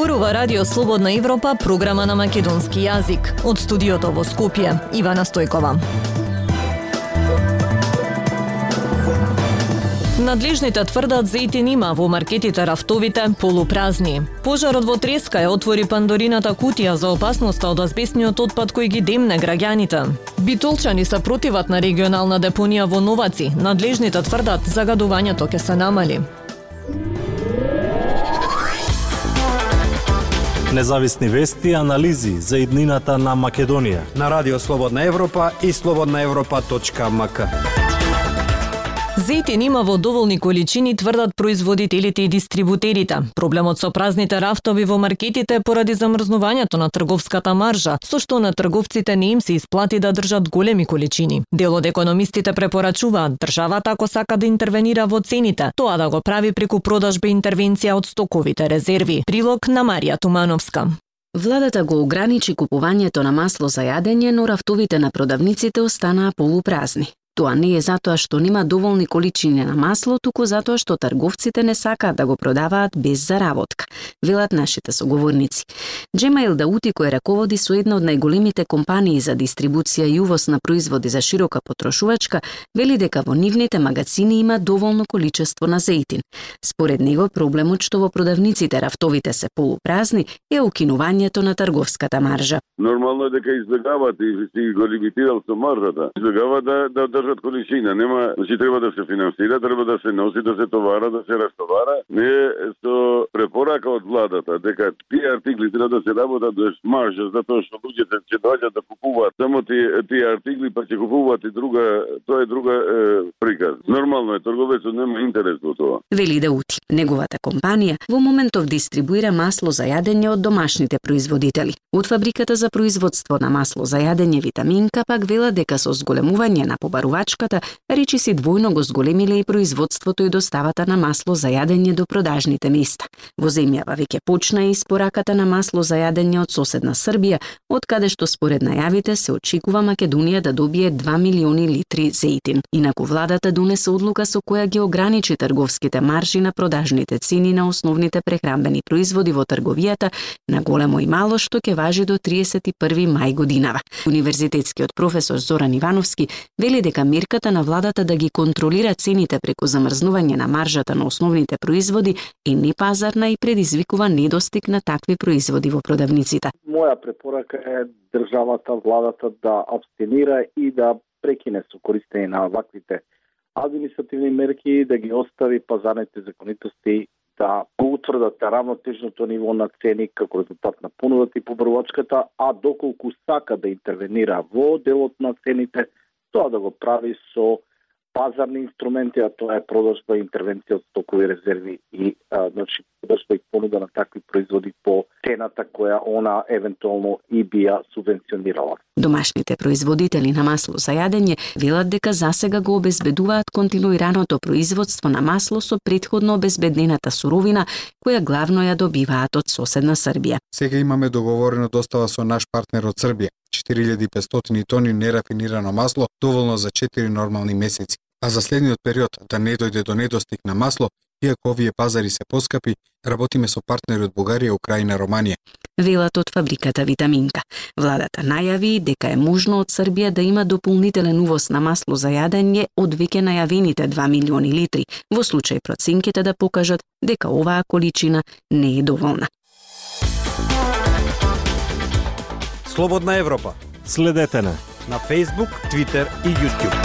Зборува Радио Слободна Европа, програма на македонски јазик. Од студиото во Скопје, Ивана Стојкова. Надлежните тврдат зејтин има во маркетите рафтовите полупразни. Пожарот во Треска отвори Пандорината кутија за опасноста од азбестниот отпад кој ги демне граѓаните. Битолчани се противат на регионална депонија во Новаци. Надлежните тврдат загадувањето ќе се намали. Независни вести и анализи за иднината на Македонија на Радио Слободна Европа и slobodnaevropa.mk. Зејтин има во доволни количини, тврдат производителите и дистрибутерите. Проблемот со празните рафтови во маркетите е поради замрзнувањето на трговската маржа, со што на трговците не им се исплати да држат големи количини. Дел од економистите препорачуваат државата, ако сака да интервенира во цените, тоа да го прави преку продажба и интервенција од стоковите резерви. Прилог на Марија Тумановска. Владата го ограничи купувањето на масло за јадење, но рафтовите на продавниците останаа полупразни. Тоа не е затоа што нема доволни количини на масло, туку затоа што трговците не сакаат да го продаваат без заработка, велат нашите соговорници. Джемаил Даути, кој раководи со една од најголемите компании за дистрибуција и увоз на производи за широка потрошувачка, вели дека во нивните магазини има доволно количество на зејтин. Според него, проблемот што во продавниците рафтовите се полупразни е укинувањето на трговската маржа. Нормално е дека избегават и си го лимитирал со маржата. Избегават да држат количина, нема, значи треба да се финансира, треба да се носи, да се товара, да се растовара. Не е со препорака од владата дека тие артикли треба да се работат без маржа, затоа што луѓето ќе доаѓаат да купуваат само тие артикли, па ќе купуваат и друга, тоа е друга приказ. Нормално е, трговецот нема интерес во тоа. Вели Даути. Неговата компанија во моментов дистрибуира масло за јадење од домашните производители. Од фабриката за производство на масло за јадење Витаминка пак вела дека со зголемување на побарувачката, речиси двојно го зголемиле и производството и доставата на масло за јадење до продажните места. Во земјава веќе почна и испораката на масло за јадење од соседна Србија, од каде што според најавите се очекува Македонија да добие 2 милиони литри зејтин. Инаку владата донесе одлука со која ги ограничи трговските маржи на продажните цени на основните прехранбени производи во трговијата на големо и мало, што ќе важи до 31 мај годинава. Универзитетскиот професор Зоран Ивановски вели дека мерката на владата да ги контролира цените преку замрзнување на маржата на основните производи е непазарна и предизвикува недостиг на такви производи во продавниците. Моја препорака е државата, владата да абстинира и да прекине со користење на ваквите административни мерки, да ги остави пазарните законитости да го утврдат равнотежното ниво на цени како резултат на понудата и побарувачката, а доколку сака да интервенира во делот на цените, тоа да го прави со пазарни инструменти, а тоа е продажба и интервенција од стокови резерви и значи продажба и понуда на такви производи по цената која она евентуално и би ја субвенционирала. Домашните производители на масло за јадење велат дека засега го обезбедуваат континуираното производство на масло со претходно обезбедената суровина, која главно ја добиваат од соседна Србија. Сега имаме договорено достава со наш партнер од Србија. 4500 тони нерафинирано масло, доволно за 4 нормални месеци. А за следниот период да не дојде до недостиг на масло, иако овие пазари се поскапи, работиме со партнери од Бугарија, Украина, Романија. Велат од фабриката Витаминка. Владата најави дека е можно од Србија да има дополнителен увоз на масло за јадење од веќе најавените 2 милиони литри, во случај проценките да покажат дека оваа количина не е доволна. Слободна Европа. Следете на Facebook, Twitter и YouTube.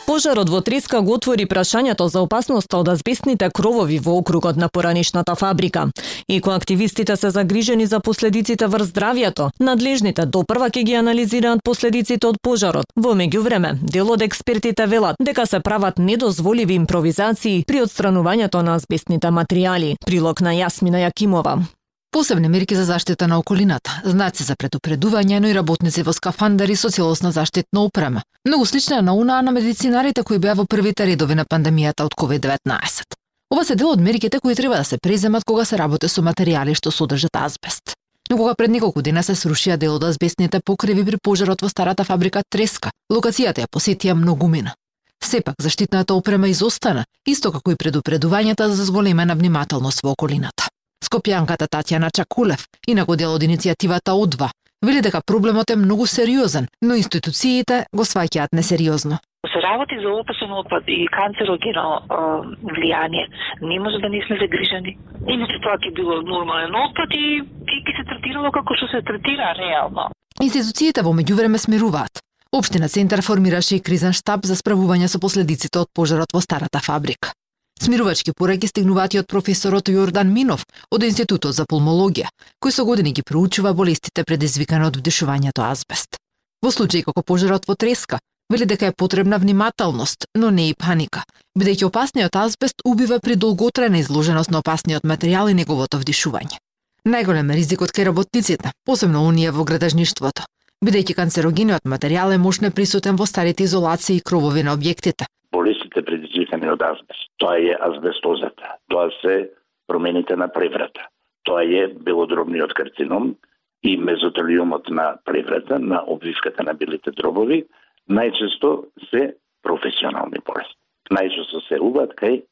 Пожарот во Треска го отвори прашањето за опасноста од азбестните кровови во округот на поранишната фабрика. Екоактивистите се загрижени за последиците врз здравјето. Надлежните допрва ќе ги анализираат последиците од пожарот. Во меѓувреме, дел од експертите велат дека се прават недозволиви импровизации при отстранувањето на азбестните материјали. Прилог на Јасмина Јакимова. Посебни мерки за заштита на околината, знаци за предупредување, но и работници во скафандари со целосна заштитна опрема. Многу слична на онаа на медицинарите кои беа во првите редови на пандемијата од COVID-19. Ова се дел од мерките кои треба да се преземат кога се работи со материјали што содржат азбест. Но кога пред неколку дена се срушија дел од азбестните покриви при пожарот во старата фабрика Треска, локацијата ја посетија многумина. Сепак, заштитната опрема изостана, исто како и предупредувањата за зголемена внимателност во околината. Скопјанката Татјана Чакулев, инаку дел од иницијативата О2, вели дека проблемот е многу сериозен, но институциите го сваќаат несериозно. Се работи за опасен отпад и канцерогено влијание, не може да не сме загрижени. Иначе тоа ќе било нормален отпад и ќе се третирало како што се третира реално. Институциите во меѓувреме смируваат. Општина Центар формираше и кризен штаб за справување со последиците од пожарот во старата фабрика. Смирувачки пораки стигнуваат и од професорот Јордан Минов од Институтот за пулмологија, кој со години ги проучува болестите предизвикани од вдишувањето азбест. Во случај како пожарот во Треска, вели дека е потребна внимателност, но не и паника, бидејќи опасниот азбест убива при долготрајна изложеност на опасниот материјал и неговото вдишување. Најголем е ризикот кај работниците, посебно оние во градежништвото, бидејќи канцерогениот материјал е мощно присутен во старите изолации и кровови на објектите. Болестите предизвикани од азбест, тоа е азбестозата, тоа се промените на преврата, тоа е белодробниот карцином и мезотелиумот на преврата, на обвивката на белите дробови, најчесто се професионални болести. Најчесто се убат кај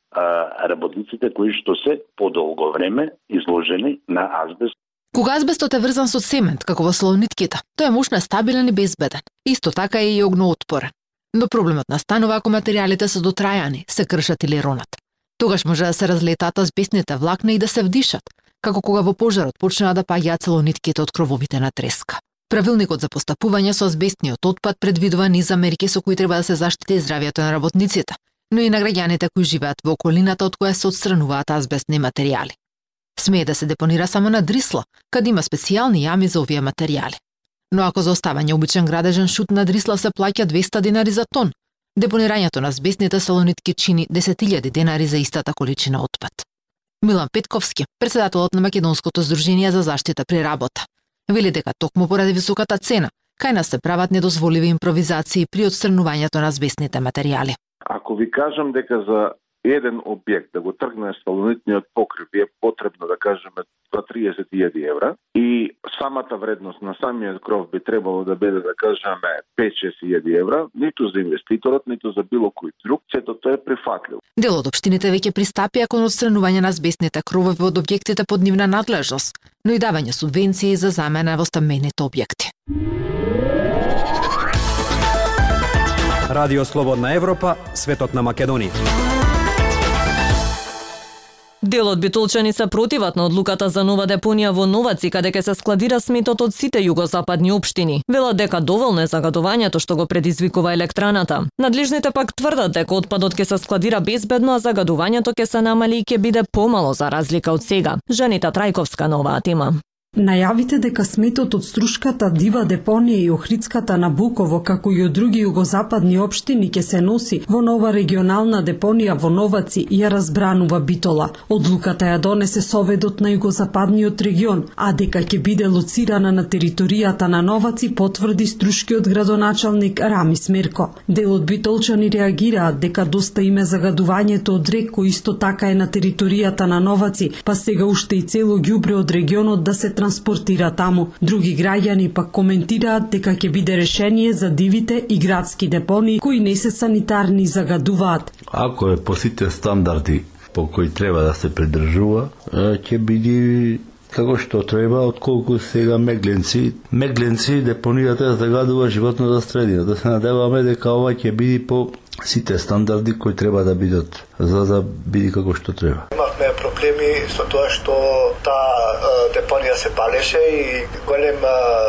работниците кои што се подолго време изложени на азбест. Кога азбестот е врзан со цемент, како во слонитките, тој е мощно стабилен и безбеден. Исто така е и огноотпорен. Но проблемот настанува ако материјалите се дотрајани, се кршат или ронат. Тогаш може да се разлетаат азбестните влакна и да се вдишат, како кога во пожарот почнаа да паѓаат целонитките од крововите на Треска. Правилникот за постапување со азбестниот отпад предвидува низ мерки со кои треба да се заштити здравјето на работниците, но и на граѓаните кои живеат во околината од која се отстрануваат азбестни материјали. Смее да се депонира само на Дрисла, каде има специјални јами за овие материјали. Но ако за оставање обичен градежен шут на Дрисла се плаќа 200 денари за тон, депонирањето на азбестните салонитки чини 10.000 денари за истата количина отпад. Милан Петковски, претседателот на Македонското здружение за заштита при работа, вели дека токму поради високата цена, кај нас се прават недозволиви импровизации при отстранувањето на азбестните материјали. Ако ви кажам дека за еден објект да го тргне салонитниот покрив е потребно да кажеме 30.000 евра и самата вредност на самиот кров би требало да биде да кажеме 5-6.000 евра, ниту за инвеститорот, ниту за било кој друг, сето тоа е прифатливо. Дел од општините веќе пристапија кон отстранување на азбестните кровови од објектите под нивна надлежност, но и давање субвенции за замена во стамбените објекти. Радио Слободна Европа, светот на Македонија. Дел од битолчани се противат на одлуката за нова депонија во Новаци, каде ќе се складира сметот од сите југозападни општини. Велат дека доволно е загадувањето што го предизвикува електраната. Надлежните пак тврдат дека отпадот ќе се складира безбедно, а загадувањето ќе се намали и ќе биде помало за разлика од сега. Жанита Трајковска на оваа тема. Најавите дека сметот од Струшката, Дива депонија и Охридската на Буково, како и од други југозападни општини ќе се носи во нова регионална депонија во Новаци, ја разбранува Битола. Одлуката ја донесе Советот на југозападниот регион, а дека ќе биде лоцирана на територијата на Новаци потврди струшкиот градоначалник Рамис Мерко. Дел од битолчани реагираат дека доста им е загадувањето од рек кој исто така е на територијата на Новаци, па сега уште и цело ѓубре од регионот да се транспортира таму. Други граѓани пак коментираат дека ќе биде решение за дивите и градски депонии кои не се санитарни и загадуваат. Ако е по сите стандарди по кои треба да се придржува, ќе биде како што треба, отколку сега Мегленци. Мегленци депонијата загадува животната средина. Да се надеваме дека ова ќе биде по сите стандарди кои треба да бидат, за да биде како што треба. Имавме проблеми со тоа што таа депонија се палеше и голем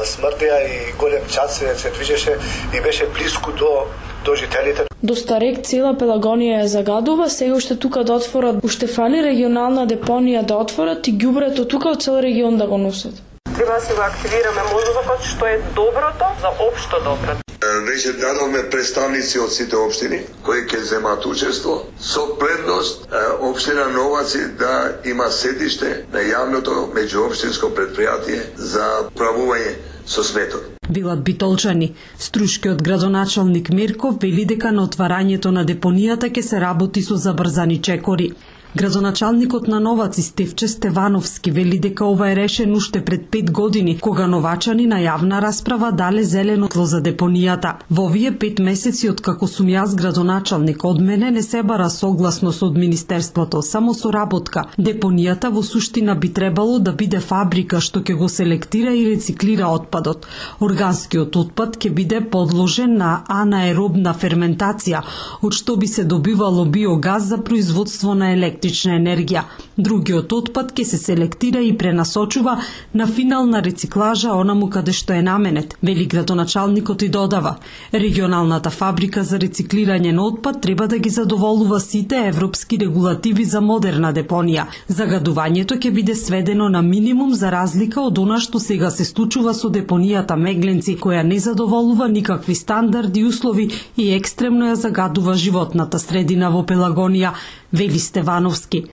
смрдеа и голем чад се движеше и беше близко до жителите. Доста рек цела Пелагонија ја загадува, сега уште тука да отворат, уште фали регионална депонија да отворат и ѓубрето тука од цел регион да го носат. Треба да се го активираме мозокот што е доброто за општо добро. Веќе дадовме представници од сите општини кои ќе земат учество со предност општина Новаци да има седиште на јавното меѓуопштинско предпријатие за правување со сметот. Билат битолчани. Струшкиот градоначалник Мерков вели дека на отварањето на депонијата ќе се работи со забрзани чекори. Градоначалникот на Новаци Стефче Стевановски вели дека ова е решено уште пред 5 години, кога новачани на јавна расправа дале зелено тло за депонијата. Во овие 5 месеци откако сум јас градоначалник, од мене не се бара согласност од Министерството, само соработка. Депонијата во суштина би требало да биде фабрика што ќе го селектира и рециклира отпадот. Органскиот отпад ќе биде подложен на анаеробна ферментација, од што би се добивало биогаз за производство на електрична енергија. Другиот отпад ќе се селектира и пренасочува на финална рециклажа онаму каде што е наменет, вели градоначалникот и додава. Регионалната фабрика за рециклирање на отпад треба да ги задоволува сите европски регулативи за модерна депонија. Загадувањето ќе биде сведено на минимум за разлика од она што сега се случува со депонијата Мегленци, која не задоволува никакви стандарди и услови и екстремно ја загадува животната средина во Пелагонија, вели Стевановски.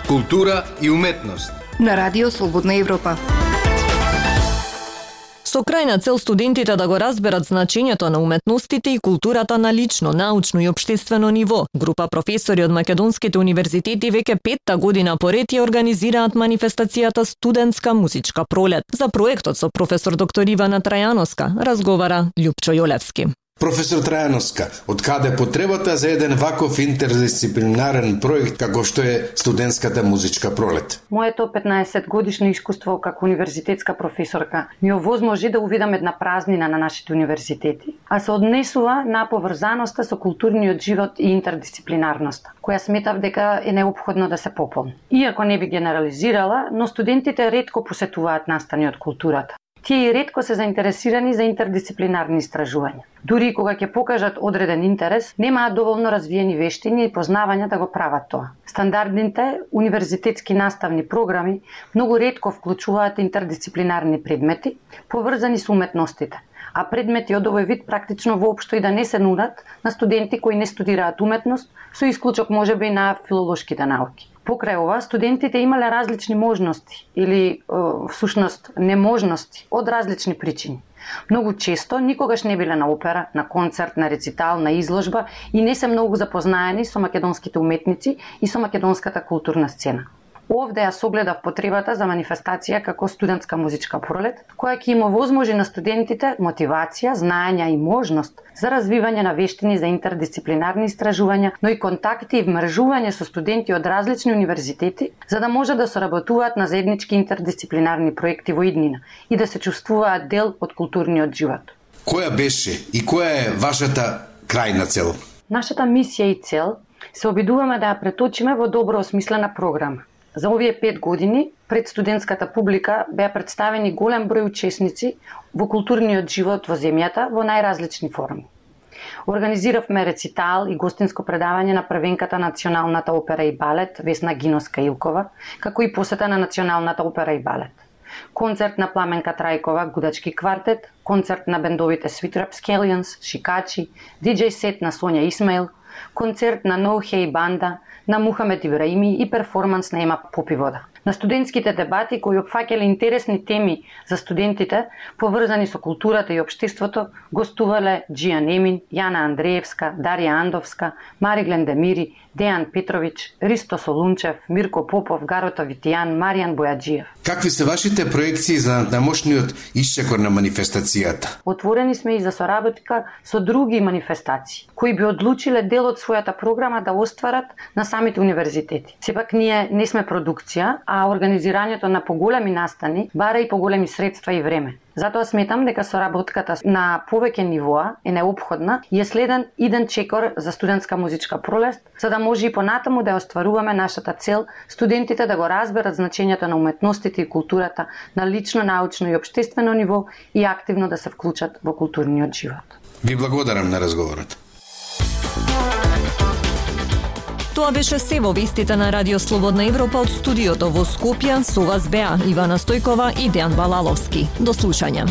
Култура и уметност на Радио Слободна Европа. Со крајна цел студентите да го разберат значењето на уметностите и културата на лично, научно и општествено ниво, група професори од македонските универзитети веќе 5-та година поред ја организираат манифестацијата Студентска музичка пролет. За проектот со професор доктор Ивана Трајановска разговара Љупчо Јолевски. Професор Трајановска, од каде потребата за еден ваков интердисциплинарен проект како што е Студентската музичка пролет? Моето 15 годишно искуство како универзитетска професорка ми овозможи да увидам една празнина на нашите универзитети, а се однесува на поврзаноста со културниот живот и интердисциплинарноста, која сметав дека е неопходно да се пополни. Иако не би генерализирала, но студентите ретко посетуваат настани од културата. Тие и ретко се заинтересирани за интердисциплинарни истражувања. Дури и кога ќе покажат одреден интерес, немаат доволно развиени вештини и познавања да го прават тоа. Стандардните универзитетски наставни програми многу ретко вклучуваат интердисциплинарни предмети, поврзани со уметностите, а предмети од овој вид практично воопшто и да не се нудат на студенти кои не студираат уметност, со исклучок можеби на филолошките науки. Покрај ова, студентите имале различни можности или, всушност, неможности од различни причини. Многу често никогаш не биле на опера, на концерт, на рецитал, на изложба и не се многу запознаени со македонските уметници и со македонската културна сцена. Овде ја согледав потребата за манифестација како Студентска музичка пролет, која ќе им овозможи на студентите мотивација, знаење и можност за развивање на вештини за интердисциплинарни истражувања, но и контакти и вмржување со студенти од различни универзитети, за да може да соработуваат на заеднички интердисциплинарни проекти во иднина и да се чувствуваат дел од културниот живот. Која беше и која е вашата крајна цел? Нашата мисија и цел се обидуваме да ја преточиме во добро осмислена програма. За овие 5 години пред студентската публика беа представени голем број учесници во културниот живот во земјата во најразлични форми. Организиравме рецитал и гостинско предавање на првенката на Националната опера и балет Весна Гиноска-Илкова, како и посета на Националната опера и балет. Концерт на Пламенка Трајкова, Гудачки квартет, концерт на бендовите Sweet Rapscallions, Шикачи, диџеј сет на Сонја Исмаил, концерт на No Hey банда, на Мухамед Ибраими и перформанс на Ема Попивода. На студентските дебати кои опфаќале интересни теми за студентите, поврзани со културата и општеството, гостувале Джијан Емин, Јана Андреевска, Дарија Андовска, Мариглен Демири, Дејан Петрович, Ристо Солунчев, Мирко Попов, Гарото Витијан, Маријан Бојаджиев. Какви се вашите проекции за надмошниот исчекор на манифестацијата? Отворени сме и за соработка со други манифестации, кои би одлучиле дел од својата програма да остварат на самите универзитети. Сепак ние не сме продукција, а организирањето на поголеми настани бара и поголеми средства и време. Затоа сметам дека соработката на повеќе нивоа е неопходна и е следен иден чекор за Студентска музичка пролет, за да може и понатаму да остваруваме нашата цел студентите да го разберат значењето на уметностите и културата на лично, научно и општествено ниво и активно да се вклучат во културниот живот. Ви благодарам на разговорот. Тоа беше се во вестите на Радио Слободна Европа од студиото во Скопје. Со вас беа Ивана Стојкова и Дејан Балаловски. До слушање.